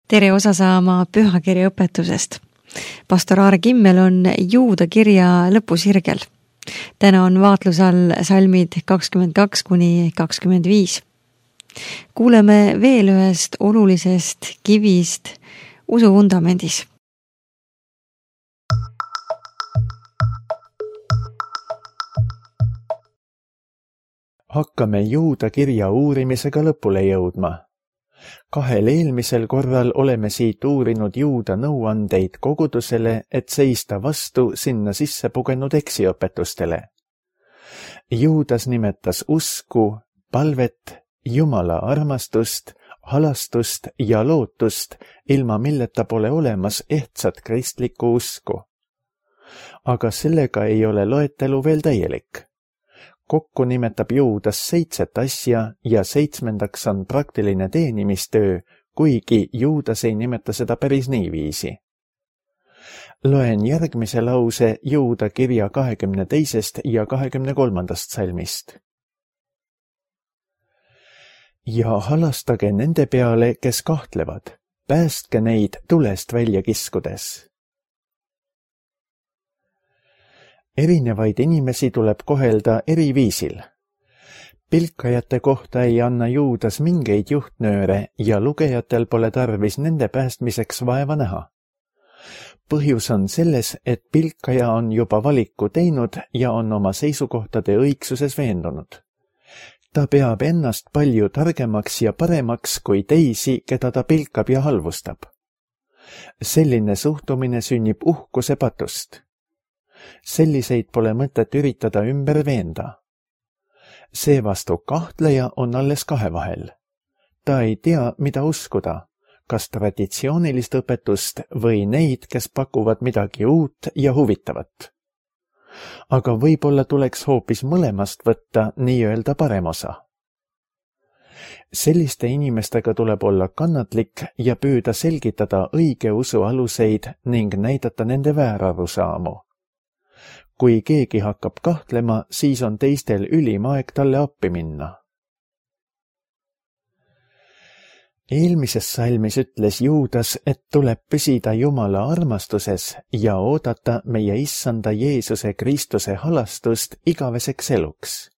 Tere osa saama pühakirja õpetusest. Pastor Aare Kimmel on Juuda kirja lõpusirgel. Täna on vaatluse all salmid 22–25. Kuuleme veel ühest olulisest kivist usu vundamendis. Hakkame Juuda kirja uurimisega lõpule jõudma. 2 eelmisel korral oleme siit uurinud Juuda nõuandeid kogudusele, et seista vastu sinna sisse pugenud eksiõpetustele. Juudas nimetas usku, palvet, Jumala armastust, halastust ja lootust, ilma milleta pole olemas ehtsat kristlikku usku. Aga sellega ei ole loetelu veel täielik. Kokku nimetab Juudas 7 asja ja 7. on praktiline teenimistöö, kuigi Juudas ei nimeta seda päris niiviisi. Loen järgmise lause Juuda kirja 22. ja 23. salmist. Ja halastage nende peale, kes kahtlevad, päästke neid tulest välja kiskudes. Erinevaid inimesi tuleb kohelda eri viisil. Pilkajate kohta ei anna Juudas mingeid juhtnööre ja lugejatel pole tarvis nende päästmiseks vaeva näha. Põhjus on selles, et pilkaja on juba valiku teinud ja on oma seisukohtade õigsuses veendunud. Ta peab ennast palju targemaks ja paremaks kui teisi, keda ta pilkab ja halvustab. Selline suhtumine sünnib uhkuse patust. Selliseid pole mõtet üritada ümber veenda. Seevastu kahtleja on alles 2 vahel. Ta ei tea, mida uskuda, kas traditsioonilist õpetust või neid, kes pakuvad midagi uut ja huvitavat. Aga võib-olla tuleks hoopis mõlemast võtta nii-öelda parem osa. Selliste inimestega tuleb olla kannatlik ja püüda selgitada õige usu aluseid ning näidata nende väärarusaamu. Kui keegi hakkab kahtlema, siis on teistel ülim aeg talle appi minna. Eelmises salmis ütles Juudas, et tuleb püsida Jumala armastuses ja oodata meie issanda Jeesuse Kristuse halastust igaveseks eluks.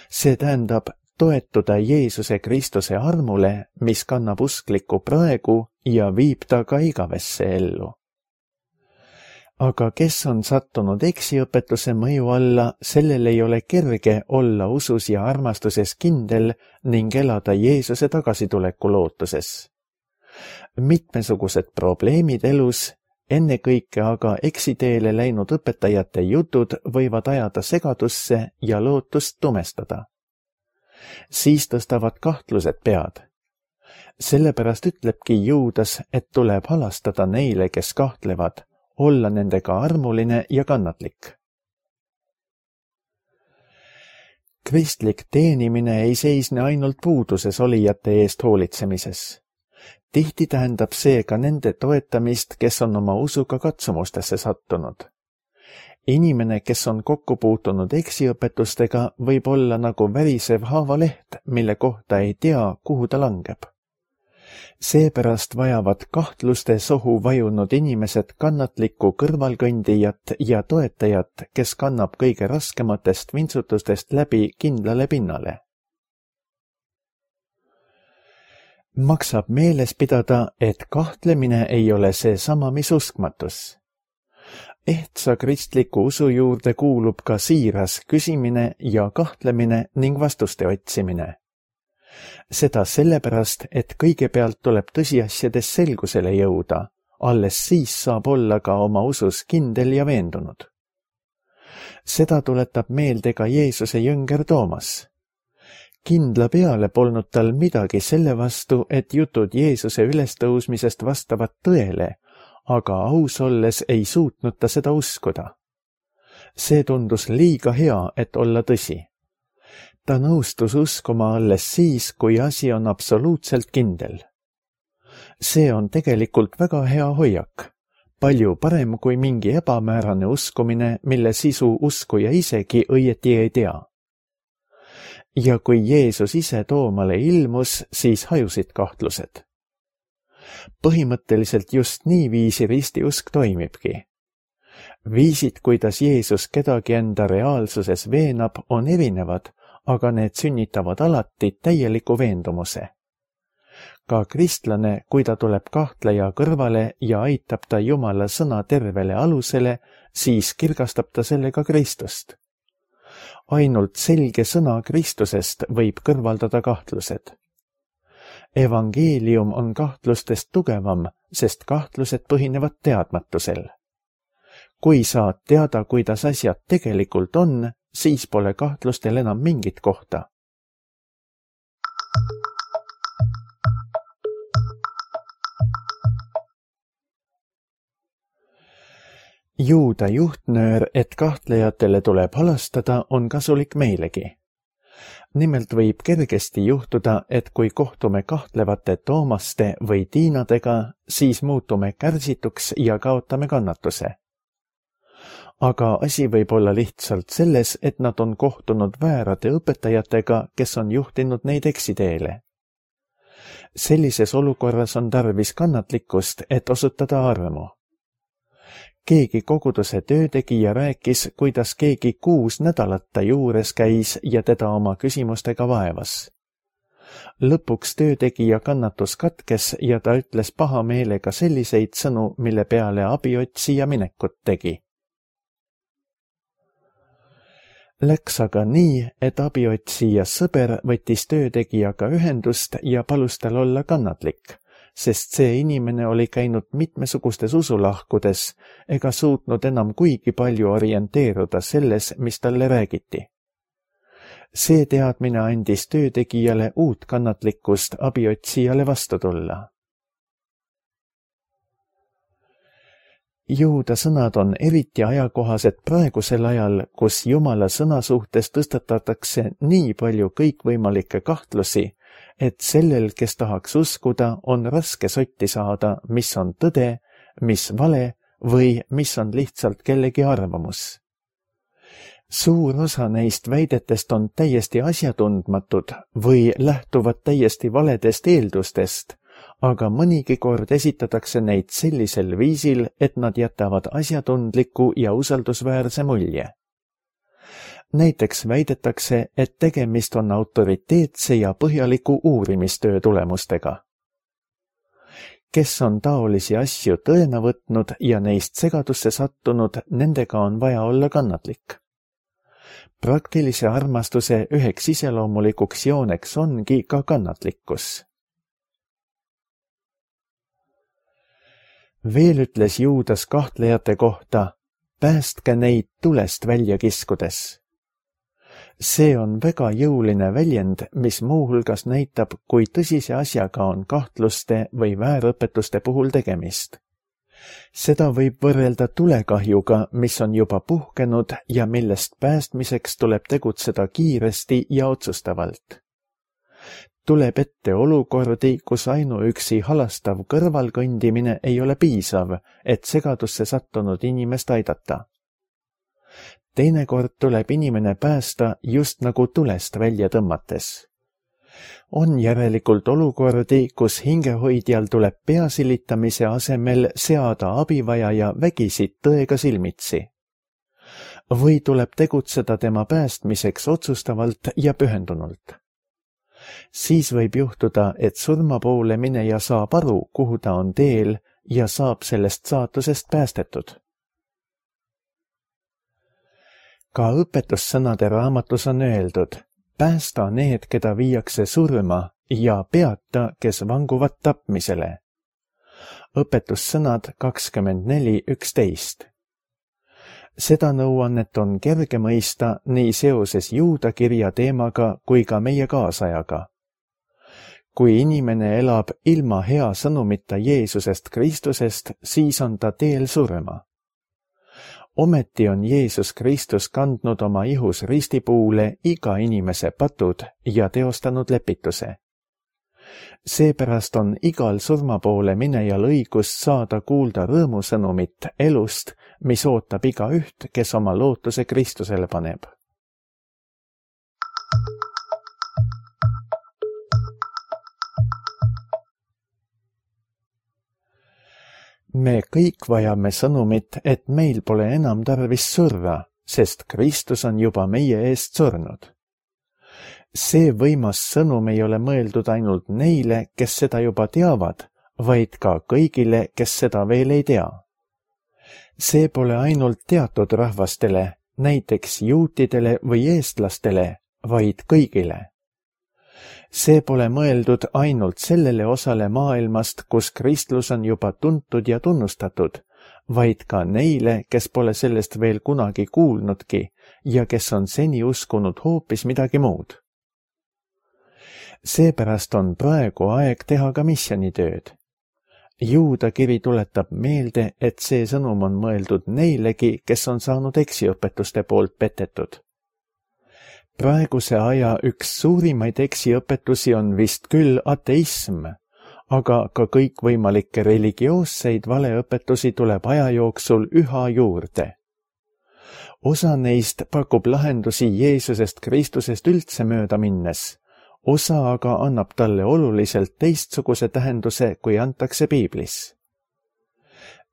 See tähendab toetuda Jeesuse Kristuse armule, mis kannab usklikku praegu ja viib ta ka igavesse ellu. Aga kes on sattunud eksiõpetuse mõju alla, sellel ei ole kerge olla usus ja armastuses kindel ning elada Jeesuse tagasituleku lootuses. Mitmesugused probleemid elus, ennekõike aga eksiteele läinud õpetajate jutud võivad ajada segadusse ja lootust tumestada. Siis tõstavad kahtlused pead. Sellepärast ütlebki Juudas, et tuleb halastada neile, kes kahtlevad, olla nendega armuline ja kannatlik. Kristlik teenimine ei seisne ainult puuduses olijate eest hoolitsemises. Tihti tähendab see ka nende toetamist, kes on oma usuga katsumustesse sattunud. Inimene, kes on kokku puutunud eksiõpetustega, võib olla nagu värisev haavaleht, mille kohta ei tea, kuhu ta langeb. Seepärast vajavad kahtluste sohu vajunud inimesed kannatlikku kõrvalkõndijat ja toetajat, kes kannab kõige raskematest vintsutustest läbi kindlale pinnale. Maksab meeles pidada, et kahtlemine ei ole seesama, mis uskmatus. Ehtsa kristliku usu juurde kuulub ka siiras küsimine ja kahtlemine ning vastuste otsimine. Seda sellepärast, et kõigepealt tuleb tõsiasjades selgusele jõuda, alles siis saab olla ka oma usus kindel ja veendunud. Seda tuletab meelde ka Jeesuse jünger Toomas. Kindla peale polnud tal midagi selle vastu, et jutud Jeesuse ülestõusmisest vastavad tõele, aga aus olles ei suutnud ta seda uskuda. See tundus liiga hea, et olla tõsi. Ta nõustus uskuma alles siis, kui asi on absoluutselt kindel. See on tegelikult väga hea hoiak, palju parem kui mingi ebamäärane uskumine, mille sisu uskuja isegi õieti ei tea. Ja kui Jeesus ise Toomale ilmus, siis hajusid kahtlused. Põhimõtteliselt just niiviisi ristiusk toimibki. Viisid, kuidas Jeesus kedagi enda reaalsuses veenab, on erinevad, aga need sünnitavad alati täieliku veendumuse. Ka kristlane, kui ta tuleb kahtleja kõrvale ja aitab ta Jumala sõna tervele alusele, siis kirgastab ta sellega Kristust. Ainult selge sõna Kristusest võib kõrvaldada kahtlused. Evangeelium on kahtlustest tugevam, sest kahtlused põhinevad teadmatusel. Kui saad teada, kuidas asjad tegelikult on, siis pole kahtlustel enam mingit kohta. Juuda juhtnöör, et kahtlejatele tuleb halastada, on kasulik meilegi. Nimelt võib kergesti juhtuda, et kui kohtume kahtlevate Toomaste või Tiinadega, siis muutume kärsituks ja kaotame kannatuse. Aga asi võib olla lihtsalt selles, et nad on kohtunud väärade õpetajatega, kes on juhtinud neid eksiteele. Sellises olukorras on tarvis kannatlikkust, et osutada armu. Keegi koguduse töötegija rääkis, kuidas keegi 6 nädalat ta juures käis ja teda oma küsimustega vaevas. Lõpuks töötegija kannatus katkes ja ta ütles pahameelega selliseid sõnu, mille peale abiotsija minekut tegi. Läks aga nii, et abiotsija sõber võttis töötegijaga ühendust ja palus tal olla kannatlik, sest see inimene oli käinud mitmesugustes usulahkudes ega suutnud enam kuigi palju orienteeruda selles, mis talle räägiti. See teadmine andis töötegijale uut kannatlikkust abiotsijale vastu tulla. Juuda sõnad on eriti ajakohased praegusel ajal, kus Jumala sõna suhtes tõstatatakse nii palju kõikvõimalikke kahtlusi, et sellel, kes tahaks uskuda, on raske sotti saada, mis on tõde, mis vale või mis on lihtsalt kellegi arvamus. Suur osa neist väidetest on täiesti asjatundmatud või lähtuvad täiesti valedest eeldustest, aga mõnigi kord esitatakse neid sellisel viisil, et nad jätavad asjatundliku ja usaldusväärse mulje. Näiteks väidetakse, et tegemist on autoriteetse ja põhjaliku uurimistöö tulemustega. Kes on taolisi asju tõena võtnud ja neist segadusse sattunud, nendega on vaja olla kannatlik. Praktilise armastuse üheks iseloomulikuks jooneks ongi ka kannatlikkus. Veel ütles Juudas kahtlejate kohta, päästke neid tulest välja kiskudes. See on väga jõuline väljend, mis muuhulgas näitab, kui tõsise asjaga on kahtluste või väärõpetuste puhul tegemist. Seda võib võrrelda tulekahjuga, mis on juba puhkenud ja millest päästmiseks tuleb tegutseda kiiresti ja otsustavalt. Tuleb ette olukordi, kus ainuüksi halastav kõrvalkõndimine ei ole piisav, et segadusse sattunud inimest aidata. Teinekord tuleb inimene päästa just nagu tulest välja tõmmates. On järelikult olukordi, kus hingehoidjal tuleb peasilitamise asemel seada abivajaja vägisid tõega silmitsi. Või tuleb tegutseda tema päästmiseks otsustavalt ja pühendunult. Siis võib juhtuda, et surma poole mineja saab aru, kuhu ta on teel ja saab sellest saatusest päästetud. Ka õpetussõnade raamatus on öeldud, päästa need, keda viiakse surma ja peata, kes vanguvad tapmisele. Õpetussõnad 24:11. Seda nõuannet on kerge mõista nii seoses Juuda kirja teemaga kui ka meie kaasajaga. Kui inimene elab ilma hea sõnumita Jeesusest Kristusest, siis on ta teel surma. Ometi on Jeesus Kristus kandnud oma ihus ristipuule iga inimese patud ja teostanud lepituse. Seepärast on igal surmapoole minejal õigus saada kuulda rõõmusõnumit elust, mis ootab igaüht, kes oma lootuse Kristusele paneb. Me kõik vajame sõnumit, et meil pole enam tarvis surra, sest Kristus on juba meie eest surnud. See võimas sõnum ei ole mõeldud ainult neile, kes seda juba teavad, vaid ka kõigile, kes seda veel ei tea. See pole ainult teatud rahvastele, näiteks juutidele või eestlastele, vaid kõigile. See pole mõeldud ainult sellele osale maailmast, kus kristlus on juba tuntud ja tunnustatud, vaid ka neile, kes pole sellest veel kunagi kuulnudki ja kes on seni uskunud hoopis midagi muud. Seepärast on praegu aeg teha ka missioonitööd. Juuda kiri tuletab meelde, et see sõnum on mõeldud neilegi, kes on saanud eksiõpetuste poolt petetud. Praeguse aja üks suurimaid eksiõpetusi on vist küll ateism, aga ka kõikvõimalikke religioosseid valeõpetusi tuleb aja jooksul üha juurde. Osa neist pakub lahendusi Jeesusest Kristusest üldse mööda minnes, osa aga annab talle oluliselt teistsuguse tähenduse, kui antakse piiblis.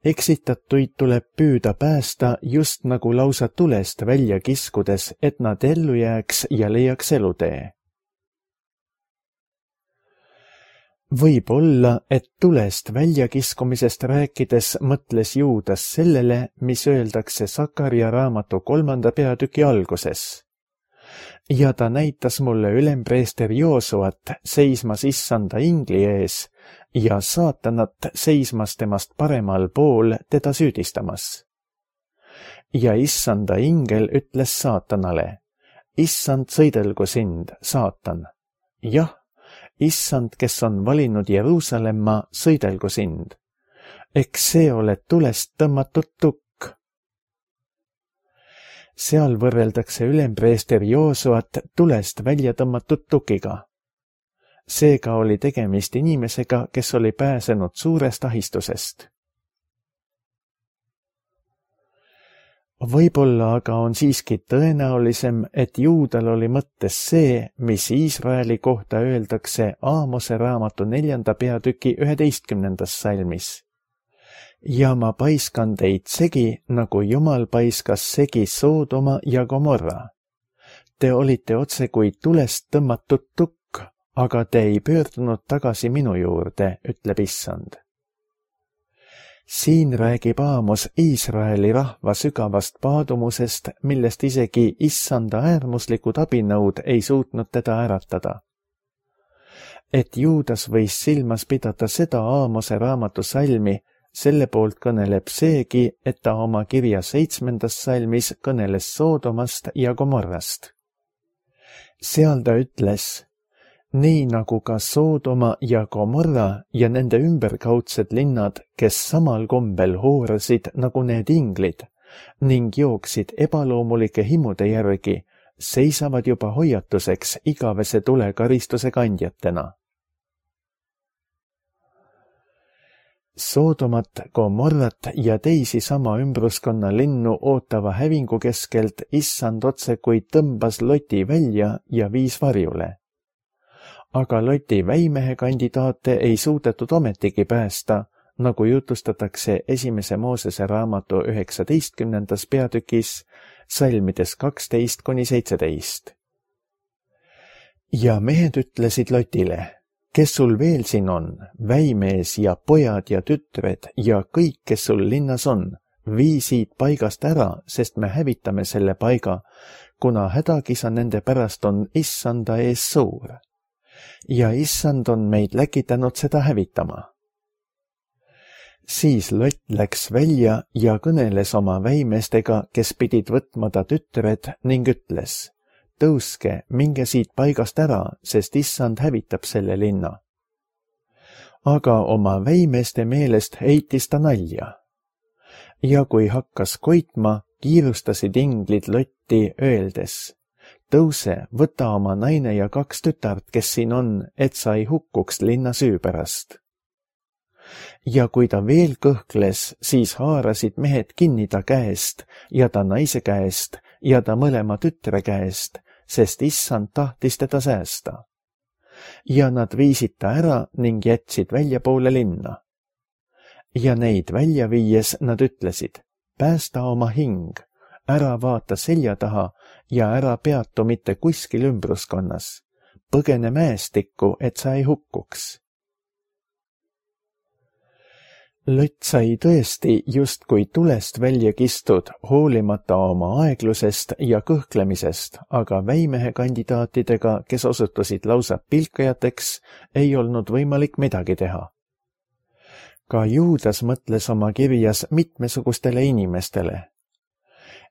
Eksitatuid tuleb püüda päästa just nagu lausa tulest välja kiskudes, et nad ellu jääks ja leiaks elutee. Võib olla, et tulest väljakiskumisest rääkides mõtles Juudas sellele, mis öeldakse Sakaria raamatu 3. peatüki alguses. Ja ta näitas mulle ülempreester Joosuat seismas issanda ingli ees ja saatanat seismas temast paremal pool teda süüdistamas. Ja issanda ingel ütles saatanale, issand, sõidelgu sind, saatan. Jah, issand, kes on valinud Jeruusalemma, sõidelgu sind. Eks see ole tulest tõmmatud tukk. Seal võrreldakse ülempreester Joosuat tulest välja tõmmatud tukiga. Seega oli tegemist inimesega, kes oli pääsenud suurest ahistusest. Võib-olla aga on siiski tõenäolisem, et Juudal oli mõttes see, mis Iisraeli kohta öeldakse Aamose raamatu 4. peatüki 11. salmis. Ja ma paiskan teid segi, nagu Jumal paiskas segi Soodoma ja Gomorra. Te olite otse kui tulest tõmmatud tukk, aga te ei pöördunud tagasi minu juurde, ütleb issand. Siin räägib Aamos Iisraeli rahva sügavast paadumusest, millest isegi issanda äärmuslikud abinõud ei suutnud teda äratada. Et Juudas võis silmas pidada seda Aamose raamatu salmi, selle poolt kõneleb seegi, et ta oma kirja 7. salmis kõneles Soodomast ja Gomorrast. Seal ta ütles, nii nagu ka Soodoma ja Gomorra ja nende ümberkaudsed linnad, kes samal kombel hoorasid nagu need inglid ning jooksid ebaloomulike himude järgi, seisavad juba hoiatuseks igavese tulekaristuse kandjatena. Soodomat, Gomorrat ja teisi sama ümbruskonna linnu ootava hävingu keskelt issand otse kui tõmbas Loti välja ja viis varjule. Aga Loti väimehe kandidaate ei suudetud ometigi päästa, nagu jutustatakse 1. Moosese raamatu 19. peatükis, salmides 12–17. Ja mehed ütlesid Lotile, kes sul veel siin on, väimees ja pojad ja tütred ja kõik, kes sul linnas on, vii siit paigast ära, sest me hävitame selle paiga, kuna hädakisa nende pärast on issanda ees suur. Ja issand on meid läkitanud seda hävitama. Siis Lott läks välja ja kõneles oma väimeestega, kes pidid võtma ta tütred ning ütles, tõuske, minge siit paigast ära, sest issand hävitab selle linna. Aga oma väimeeste meelest heitis ta nalja. Ja kui hakkas koitma, kiirustasid inglid Lotti öeldes, tõuse, võta oma naine ja 2 tütart, kes siin on, et sa ei hukkuks linna süü pärast. Ja kui ta veel kõhkles, siis haarasid mehed kinni ta käest ja ta naise käest ja ta mõlema tütre käest, sest issand tahtis teda säästa. Ja nad viisid ta ära ning jätsid väljapoole linna. ja neid välja viies nad ütlesid: päästa oma hing, ära vaata selja taha ja ära peatu mitte kuskil ümbruskonnas. Põgene mäestikku, et sa ei hukkuks. Lott sai tõesti justkui tulest välja kistud, hoolimata oma aeglusest ja kõhklemisest, aga väimehe kandidaatidega, kes osutusid lausa pilkajateks, ei olnud võimalik midagi teha. Ka Juudas mõtles oma kirjas mitmesugustele inimestele.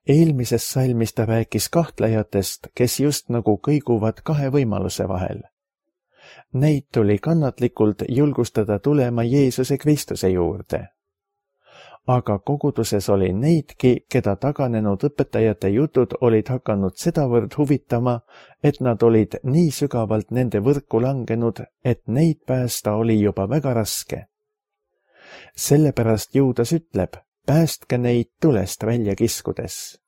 Eelmises salmis ta rääkis kahtlejatest, kes just nagu kõiguvad kahe võimaluse vahel. Neid tuli kannatlikult julgustada tulema Jeesuse Kristuse juurde. Aga koguduses oli neidki, keda taganenud õpetajate jutud olid hakanud sedavõrd huvitama, et nad olid nii sügavalt nende võrku langenud, et neid päästa oli juba väga raske. Sellepärast Juudas ütleb: päästke neid tulest välja kiskudes.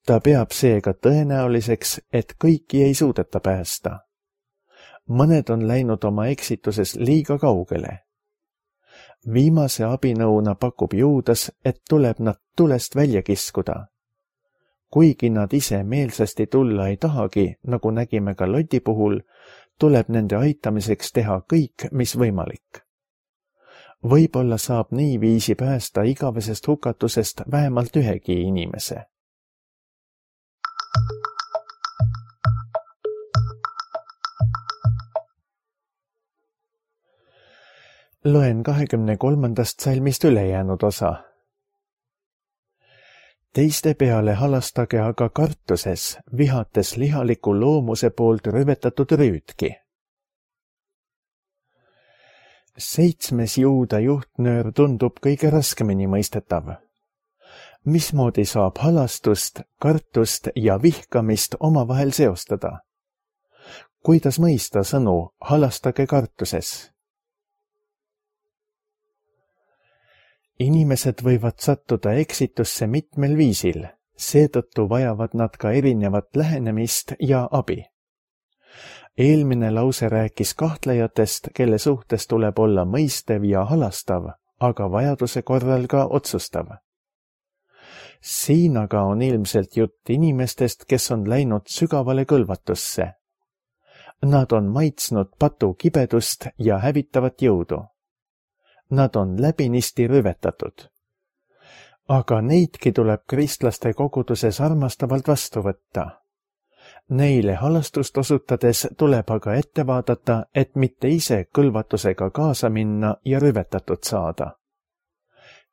Ta peab seega tõenäoliseks, et kõiki ei suudeta päästa. Mõned on läinud oma eksituses liiga kaugele. Viimase abinõuna pakub Juudas, et tuleb nad tulest välja kiskuda. Kuigi nad ise meelsasti tulla ei tahagi, nagu nägime ka Loti puhul, tuleb nende aitamiseks teha kõik, mis võimalik. Võib-olla saab niiviisi päästa igavesest hukatusest vähemalt ühegi inimese. Loen 23. salmist ülejäänud osa. Teiste peale halastage aga kartuses, vihates lihaliku loomuse poolt rüvetatud rüütki. 7. Juuda juhtnöör tundub kõige raskemini mõistetav. Mismoodi saab halastust, kartust ja vihkamist omavahel seostada? Kuidas mõista sõnu halastage kartuses? Inimesed võivad sattuda eksitusse mitmel viisil, seetõttu vajavad nad ka erinevat lähenemist ja abi. Eelmine lause rääkis kahtlejatest, kelle suhtes tuleb olla mõistev ja halastav, aga vajaduse korral ka otsustav. Siin aga on ilmselt jutt inimestest, kes on läinud sügavale kõlvatusse. Nad on maitsnud patu kibedust ja hävitavat jõudu. Nad on läbinisti rüvetatud. Aga neidki tuleb kristlaste koguduses armastavalt vastu võtta. Neile halastust osutades tuleb aga ette vaadata, et mitte ise kõlvatusega kaasa minna ja rüvetatud saada.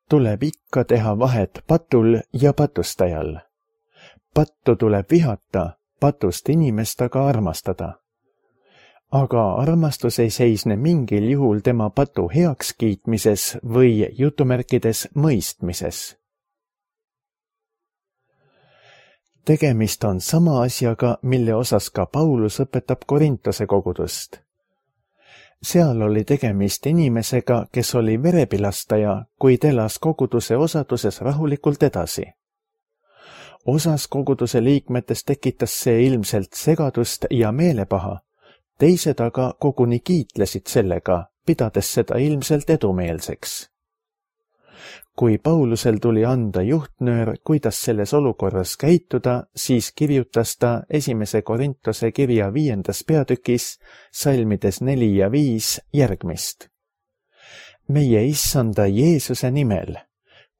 Tuleb ikka teha vahet patul ja patustajal. Pattu tuleb vihata, patust inimest aga armastada. Aga armastus ei seisne mingil juhul tema patu heakskiitmises või jutumärkides mõistmises. Tegemist on sama asjaga, mille osas ka Paulus õpetab Korintose kogudust. Seal oli tegemist inimesega, kes oli verepilastaja, kuid elas koguduse osaduses rahulikult edasi. Osas koguduse liikmetest tekitas see ilmselt segadust ja meelepaha, teised aga koguni kiitlesid sellega, pidades seda ilmselt edumeelseks. Kui Paulusel tuli anda juhtnöör, kuidas selles olukorras käituda, siis kirjutas ta 1. Korintose kirja 5. peatükis, salmides 4 ja 5 järgmist. Meie issanda Jeesuse nimel,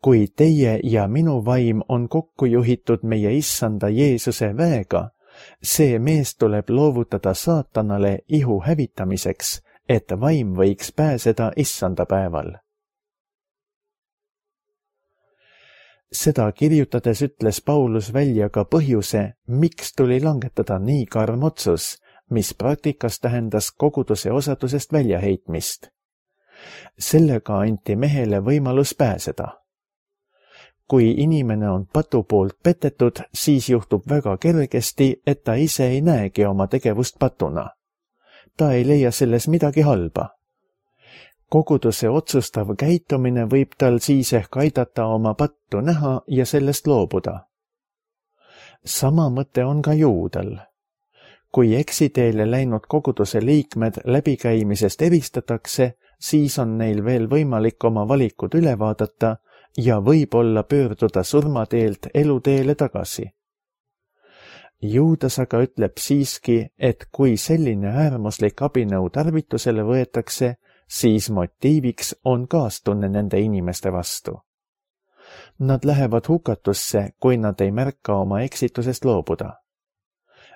kui teie ja minu vaim on kokku juhitud meie issanda Jeesuse väega, see mees tuleb loovutada saatanale ihu hävitamiseks, et vaim võiks pääseda issanda päeval. Seda kirjutades ütles Paulus välja ka põhjuse, miks tuli langetada nii karm otsus, mis praktikas tähendas koguduse osadusest väljaheitmist. Sellega anti mehele võimalus pääseda. Kui inimene on patu poolt petetud, siis juhtub väga kergesti, et ta ise ei näegi oma tegevust patuna. Ta ei leia selles midagi halba. Koguduse otsustav käitumine võib tal siis ehk aidata oma pattu näha ja sellest loobuda. Sama mõte on ka Juudal. Kui eksiteele läinud koguduse liikmed läbikäimisest eristatakse, siis on neil veel võimalik oma valikud üle vaadata ja võib-olla pöörduda surmateelt eluteele tagasi. Juudas aga ütleb siiski, et kui selline äärmuslik abinõu tarvitusele võetakse, siis motiiviks on kaastunne nende inimeste vastu. Nad lähevad hukatusse, kui nad ei märka oma eksitusest loobuda.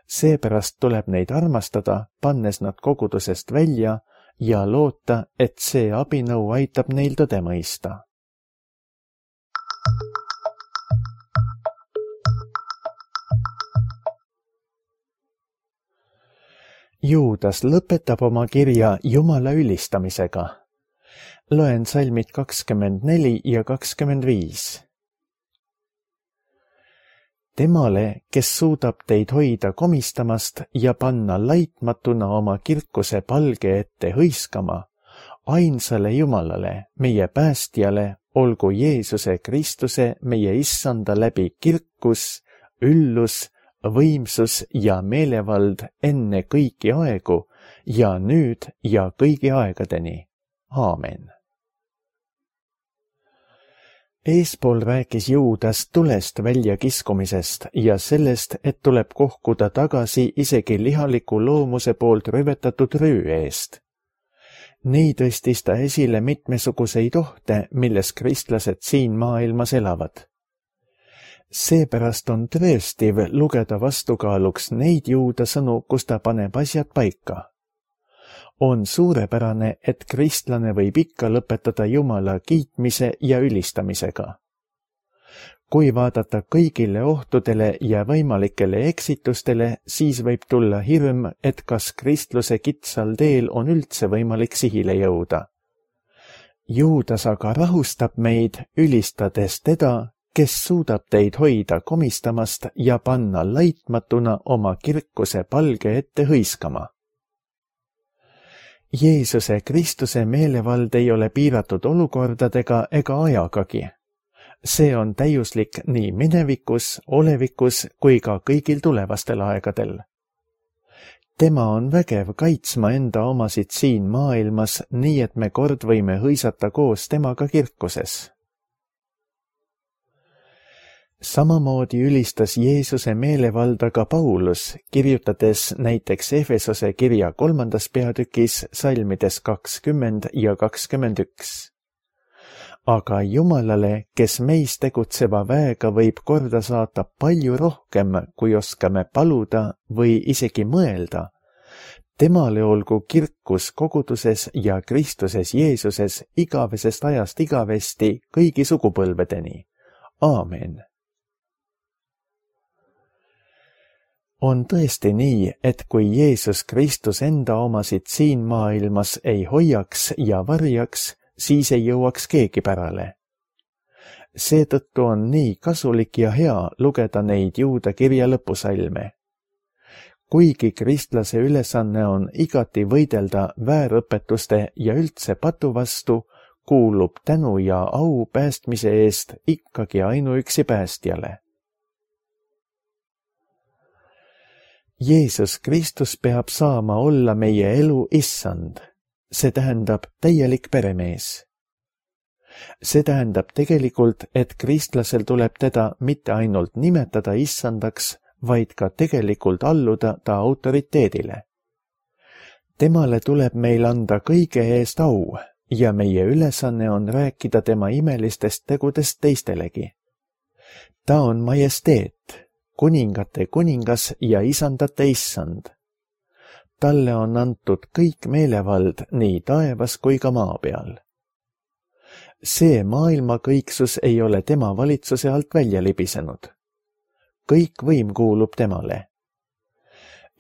Seepärast tuleb neid armastada, pannes nad kogudusest välja ja loota, et see abinõu aitab neil tõde mõista. Juudas lõpetab oma kirja Jumala ülistamisega. Loen salmid 24 ja 25. Temale, kes suudab teid hoida komistamast ja panna laitmatuna oma kirkuse palge ette hõiskama, ainsale Jumalale, meie päästjale, olgu Jeesuse Kristuse, meie issanda läbi kirkus, üllus, võimsus ja meelevald enne kõiki aegu ja nüüd ja kõigi aegadeni. Aamen. Eespool rääkis Juudas tulest väljakiskumisest ja sellest, et tuleb kohkuda tagasi isegi lihaliku loomuse poolt rüvetatud rüü eest. Nii tõstis ta esile mitmesuguseid ohte, milles kristlased siin maailmas elavad. Seepärast on tõestiv lugeda vastukaaluks neid Juuda sõnu, kus ta paneb asjad paika. On suurepärane, et kristlane võib ikka lõpetada Jumala kiitmise ja ülistamisega. Kui vaadata kõigile ohtudele ja võimalikele eksitustele, siis võib tulla hirm, et kas kristluse kitsal teel on üldse võimalik sihile jõuda. Juudas aga rahustab meid, ülistades teda, kes suudab teid hoida komistamast ja panna laitmatuna oma kirkuse palge ette hõiskama. Jeesuse Kristuse meelevald ei ole piiratud olukordadega ega ajagagi. See on täiuslik nii minevikus, olevikus kui ka kõigil tulevastel aegadel. Tema on vägev kaitsma enda omasid siin maailmas, nii et me kord võime hõisata koos temaga kirkuses. Samamoodi ülistas Jeesuse meelevalda ka Paulus, kirjutades näiteks Efesose kirja 3. peatükis salmides 20 ja 21. Aga Jumalale, kes meis tegutseva väega võib korda saata palju rohkem, kui oskame paluda või isegi mõelda, temale olgu kirkus koguduses ja Kristuses Jeesuses igavesest ajast igavesti kõigi sugupõlvedeni. Aamen. On tõesti nii, et kui Jeesus Kristus enda omasid siin maailmas ei hoiaks ja varjaks, siis ei jõuaks keegi pärale. Seetõttu on nii kasulik ja hea lugeda neid Juuda kirja lõpusalme. Kuigi kristlase ülesanne on igati võidelda väärõpetuste ja üldse patu vastu, kuulub tänu ja au päästmise eest ikkagi ainuüksi päästjale. Jeesus Kristus peab saama olla meie elu issand, see tähendab täielik peremees. See tähendab tegelikult, et kristlasel tuleb teda mitte ainult nimetada issandaks, vaid ka tegelikult alluda ta autoriteedile. Temale tuleb meil anda kõige eest au ja meie ülesanne on rääkida tema imelistest tegudest teistelegi. Ta on majesteet, kuningate kuningas ja isandate issand. Talle on antud kõik meelevald nii taevas kui ka maa peal. See maailma kõiksus ei ole tema valitsuse alt välja libisenud. Kõik võim kuulub temale.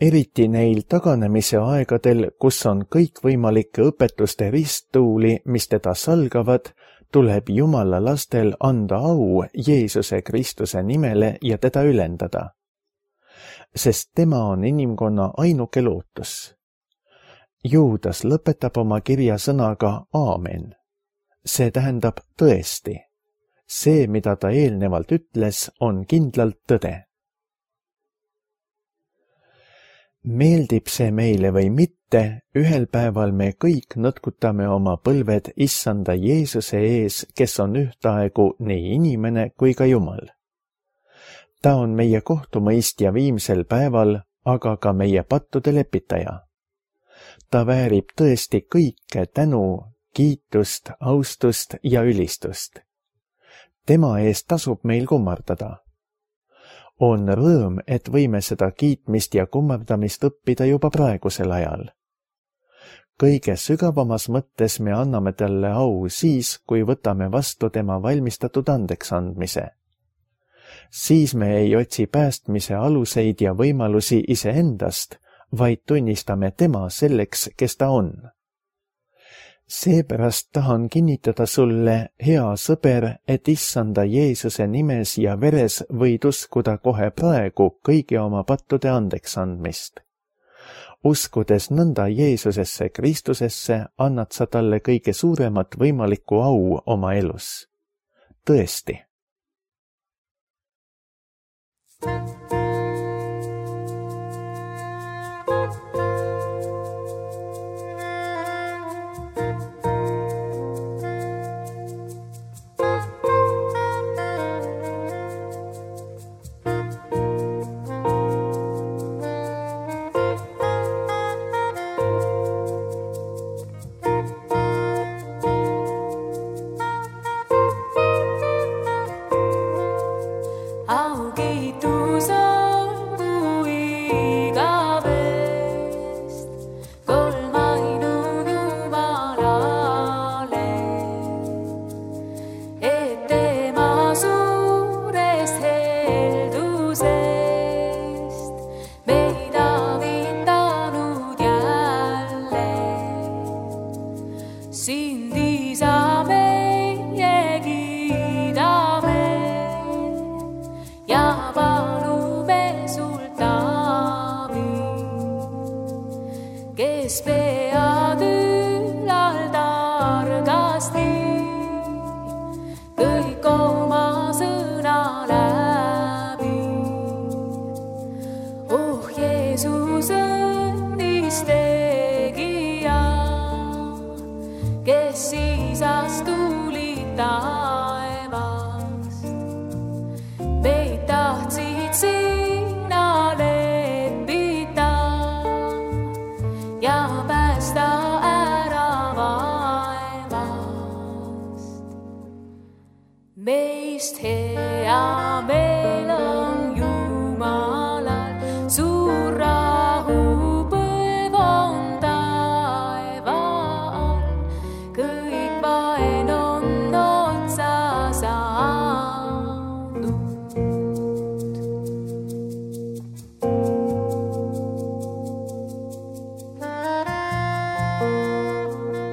Eriti neil taganemise aegadel, kus on kõikvõimalike õpetuste risttuuli, mis teda salgavad, tuleb Jumala lastel anda au Jeesuse Kristuse nimele ja teda ülendada. Sest tema on inimkonna ainuke lootus. Juudas lõpetab oma kirja sõnaga aamen. See tähendab tõesti. See, mida ta eelnevalt ütles, on kindlalt tõde. Meeldib see meile või mitte, ühel päeval me kõik nõtkutame oma põlved issanda Jeesuse ees, kes on ühtaegu nii inimene kui ka Jumal. Ta on meie kohtumõistja viimsel päeval, aga ka meie pattude lepitaja. Ta väärib tõesti kõike tänu, kiitust, austust ja ülistust. Tema eest tasub meil kummardada. On rõõm, et võime seda kiitmist ja kummardamist õppida juba praegusel ajal. Kõige sügavamas mõttes me anname talle au siis, kui võtame vastu tema valmistatud andeksandmise. Siis me ei otsi päästmise aluseid ja võimalusi iseendast, vaid tunnistame tema selleks, kes ta on. Seepärast tahan kinnitada sulle, hea sõber, et issanda Jeesuse nimes ja veres võid uskuda kohe praegu kõigi oma pattude andeksandmist. Uskudes nõnda Jeesusesse Kristusesse, annad sa talle kõige suuremat võimalikku au oma elus. Tõesti. Meist hea meel on Jumalal, suur rahupõlv on taeval, kõik vaen on otsa saanud.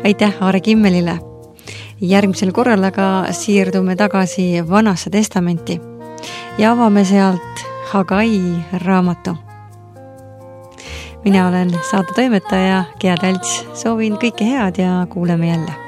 Aitäh Aare Kimmelile! Järgmisel korral aga siirdume tagasi Vanasse testamenti ja avame sealt Hagai raamatu. Mina olen saate toimetaja Gea Tälts, soovin kõike head ja kuuleme jälle.